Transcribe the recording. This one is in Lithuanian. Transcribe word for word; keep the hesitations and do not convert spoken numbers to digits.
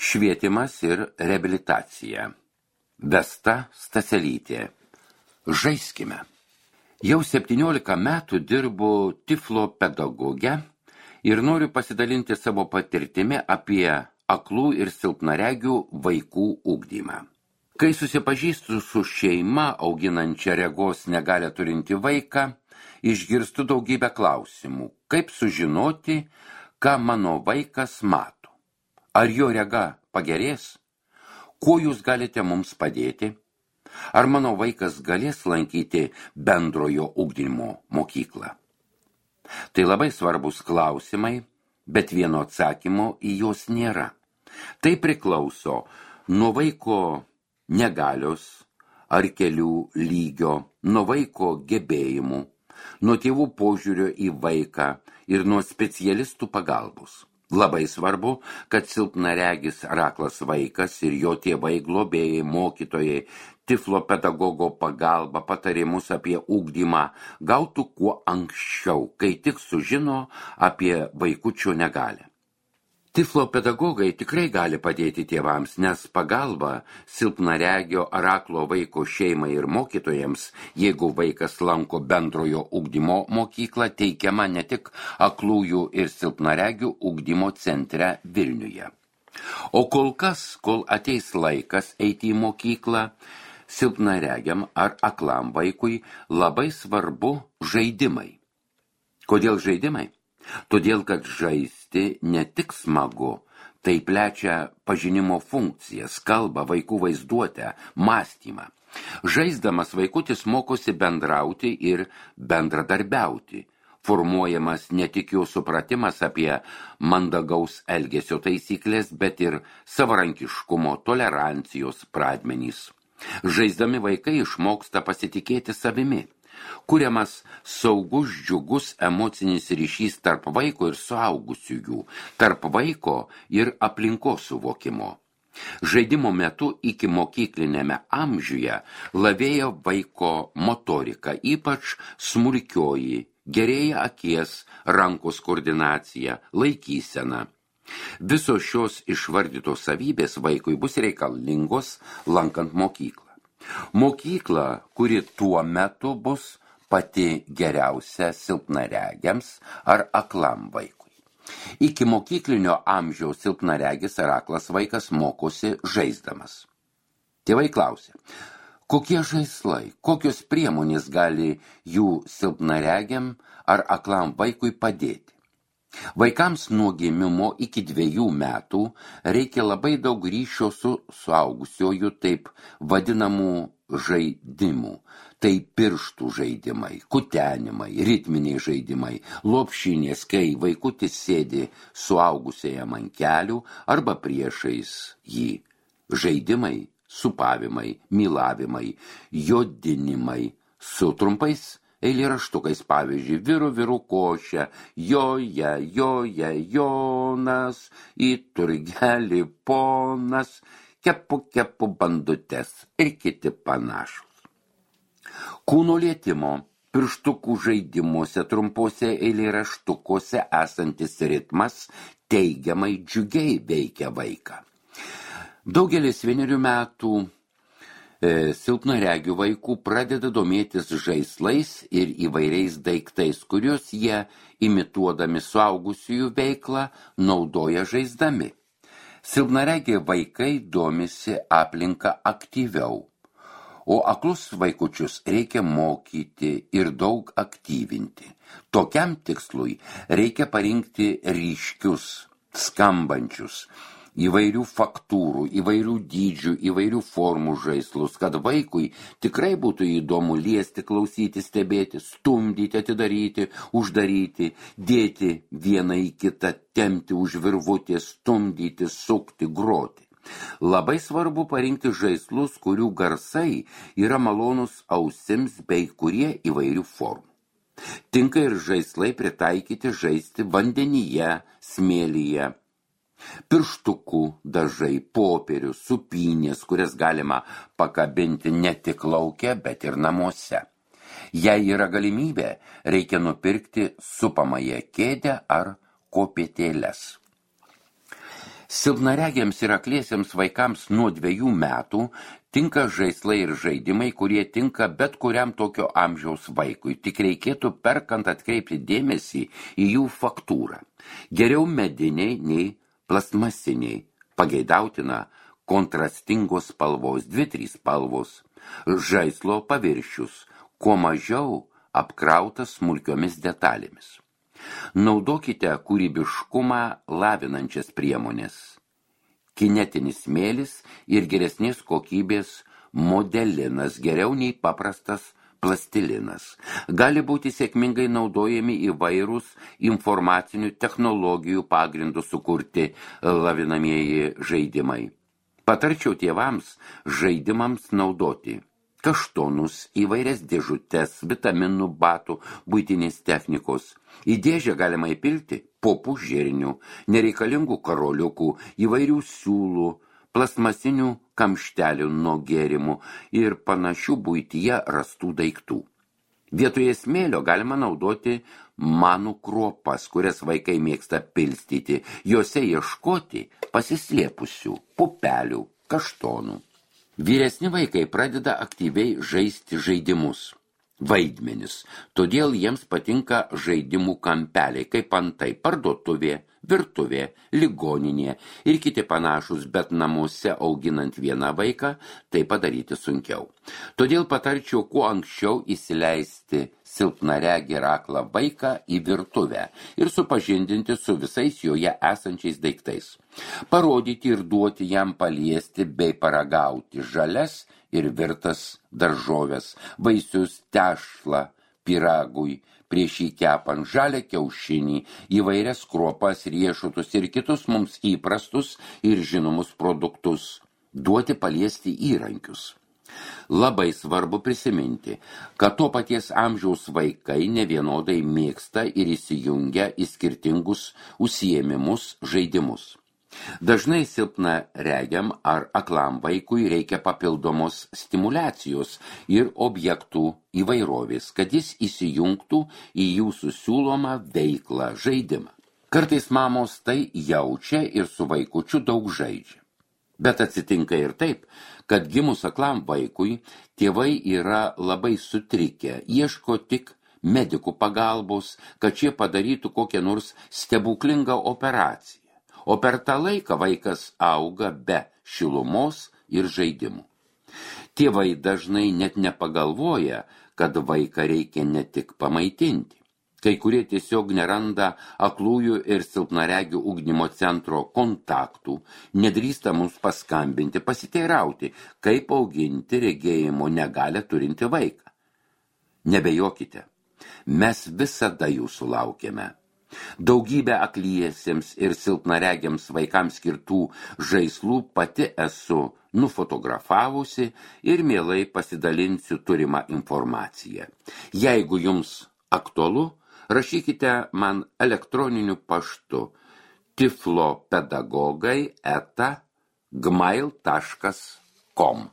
Švietimas ir reabilitacija. Vesta Staselytė. Žaiskime. Jau septyniolika metų dirbu tiflo pedagoge ir noriu pasidalinti savo patirtimi apie aklų ir silpnaregių vaikų ugdymą. Kai susipažįstu su šeima auginančia regos negalią turinti vaiką, išgirstu daugybę klausimų, kaip sužinoti, ką mano vaikas mato. Ar jo rega pagerės? Kuo jūs galite mums padėti? Ar mano vaikas galės lankyti bendrojo ugdymo mokyklą? Tai labai svarbus klausimai, bet vieno atsakymo į juos nėra. Tai priklauso nuo vaiko negalios ar kelių lygio, nuo vaiko gebėjimų, nuo tėvų požiūrio į vaiką ir nuo specialistų pagalbos. Labai svarbu, kad silpnaregis ar aklas vaikas ir jo tėvai, globėjai, mokytojai, tiflo pedagogo pagalba, patarimus apie ugdymą gautų kuo anksčiau, kai tik sužino apie vaikučio negalią. Tiflo pedagogai tikrai gali padėti tėvams, nes pagalba silpnaregio ar aklo vaiko šeimai ir mokytojams, jeigu vaikas lanko bendrojo ugdymo mokyklą, teikiama ne tik aklųjų ir silpnaregių ugdymo centre Vilniuje. O kol kas, kol ateis laikas eiti į mokyklą, silpnaregiam ar aklam vaikui labai svarbu žaidimai. Kodėl žaidimai? Todėl, kad žaisti ne tik smagu, tai plečia pažinimo funkcijas, kalbą, vaikų vaizduotę, mąstymą. Žaisdamas vaikutis mokosi bendrauti ir bendradarbiauti. Formuojamas ne tik jo supratimas apie mandagaus elgesio taisyklės, bet ir savarankiškumo, tolerancijos pradmenys. Žaisdami vaikai išmoksta pasitikėti savimi. Kuriamas saugus, džiugus emocinis ryšys tarp vaiko ir suaugusiųjų, tarp vaiko ir aplinkos suvokimo. Žaidimo metu iki mokyklinėme amžiuje lavėja vaiko motorika, ypač smulkioji, gerėja akies, rankos koordinacija, laikysena. Visos šios išvardytos savybės vaikui bus reikalingos lankant mokyklą. Mokykla, kuri tuo metu bus pati geriausia silpnaregiams ar aklam vaikui. Iki mokyklinio amžiaus silpnaregis ar aklas vaikas mokosi žaisdamas. Tėvai klausia, kokie žaislai, kokios priemonės gali jų silpnaregiam ar aklam vaikui padėti? Vaikams nuo gimimo iki dviejų metų reikia labai daug ryšio su suaugusiuoju taip vadinamų žaidimų. Tai pirštų žaidimai, kutenimai, ritminiai žaidimai, lopšinės, kai vaikutis sėdi suaugusiajam ant kelių arba priešais jį. Žaidimai, supavimai, mylavimai, jodinimai su trumpais eilėraštukais, pavyzdžiui, viru viru košę, joje, joje, Jonas, į turgelį ponas, kepu kepu bandutes ir kiti panašus. Kūno lietimo, pirštukų žaidimuose, trumpose eilėraštukuose esantis ritmas teigiamai džiugiai veikia vaiką. Daugelis vienerių metų silpnaregių vaikų pradeda domėtis žaislais ir įvairiais daiktais, kuriuos jie, imituodami suaugusiųjų veiklą, naudoja žaisdami. Silpnaregiai vaikai domisi aplinką aktyviau, o aklus vaikučius reikia mokyti ir daug aktyvinti. Tokiam tikslui reikia parinkti ryškius, skambančius, įvairių faktūrų, įvairių dydžių, įvairių formų žaislus, kad vaikui tikrai būtų įdomu liesti, klausyti, stebėti, stumdyti, atidaryti, uždaryti, dėti vieną į kitą, tempti už virvutės, stumdyti, sukti, groti. Labai svarbu parinkti žaislus, kurių garsai yra malonus ausims bei kurie įvairių formų. Tinka ir žaislai pritaikyti žaisti vandenyje, smėlyje. Pirštukų dažai, popierius, supynės, kurias galima pakabinti ne tik lauke, bet ir namuose. Jei yra galimybė, reikia nupirkti supamąją kėdę ar kopėtėles. Silpnaregiams ir akliesiems vaikams nuo dviejų metų tinka žaislai ir žaidimai, kurie tinka bet kuriam tokio amžiaus vaikui. Tik reikėtų perkant atkreipti dėmesį į jų faktūrą. Geriau mediniai nei plastmasiniai. Pageidautina kontrastingos spalvos, dvi, trys spalvos. Žaislo paviršius, kuo mažiau apkrautas smulkiomis detalėmis. Naudokite kūrybiškumą lavinančias priemonės. Kinetinis smėlis ir geresnės kokybės modelinas geriau nei paprastas plastilinas. Gali būti sėkmingai naudojami įvairūs informacinių technologijų pagrindų sukurti lavinamieji žaidimai. Patarčiau tėvams žaidimams naudoti kaštonus, įvairias dėžutes, vitaminų, batų, buitinės technikos. Į dėžę galima įpilti popų žirnių, nereikalingų karoliukų, įvairių siūlų, plastmasinių kamštelių nuo gėrimų ir panašių buityje rastų daiktų. Vietoje smėlio galima naudoti manų kruopas, kurias vaikai mėgsta pilstyti, juose ieškoti pasislėpusių pupelių, kaštonų. Vyresni vaikai pradeda aktyviai žaisti žaidimus, vaidmenis, todėl jiems patinka žaidimų kampeliai, kaip antai parduotuvė, virtuvė, ligoninė ir kiti panašus, bet namuose auginant vieną vaiką tai padaryti sunkiau. Todėl patarčiau kuo anksčiau įsileisti silpnaregį ir aklą vaiką į virtuvę ir supažindinti su visais joje esančiais daiktais. Parodyti ir duoti jam paliesti bei paragauti žalias ir virtas daržoves, vaisius, tešlą, pyragui, prieš jį kepant žalią kiaušinį, įvairias kruopas, riešutus ir kitus mums įprastus ir žinomus produktus, duoti paliesti įrankius. Labai svarbu prisiminti, kad to paties amžiaus vaikai nevienodai mėgsta ir įsijungia į skirtingus užsiėmimus, žaidimus. Dažnai silpna regiam ar aklam vaikui reikia papildomos stimulacijos ir objektų įvairovės, kad jis įsijungtų į jūsų siūlomą veiklą, žaidimą. Kartais mamos tai jaučia ir su vaikučiu daug žaidžia. Bet atsitinka ir taip, kad gimus aklam vaikui tėvai yra labai sutrikę, ieško tik medikų pagalbos, kad šie padarytų kokią nors stebuklingą operaciją. O per tą laiką vaikas auga be šilumos ir žaidimų. Tėvai dažnai net nepagalvoja, kad vaiką reikia ne tik pamaitinti. Kai kurie tiesiog neranda aklųjų ir silpnaregių ugdymo centro kontaktų, nedrįsta mums paskambinti, pasiteirauti, kaip auginti regėjimo negalią turinti vaiką. Nebejokite, mes visada jūsų laukiame. Daugybę akliesiems ir silpnaregiams vaikams skirtų žaislų pati esu nufotografavusi ir mielai pasidalinsiu turimą informaciją. Jeigu jums aktualu, rašykite man elektroniniu paštu tiflopedagogai eta gmail taškas com.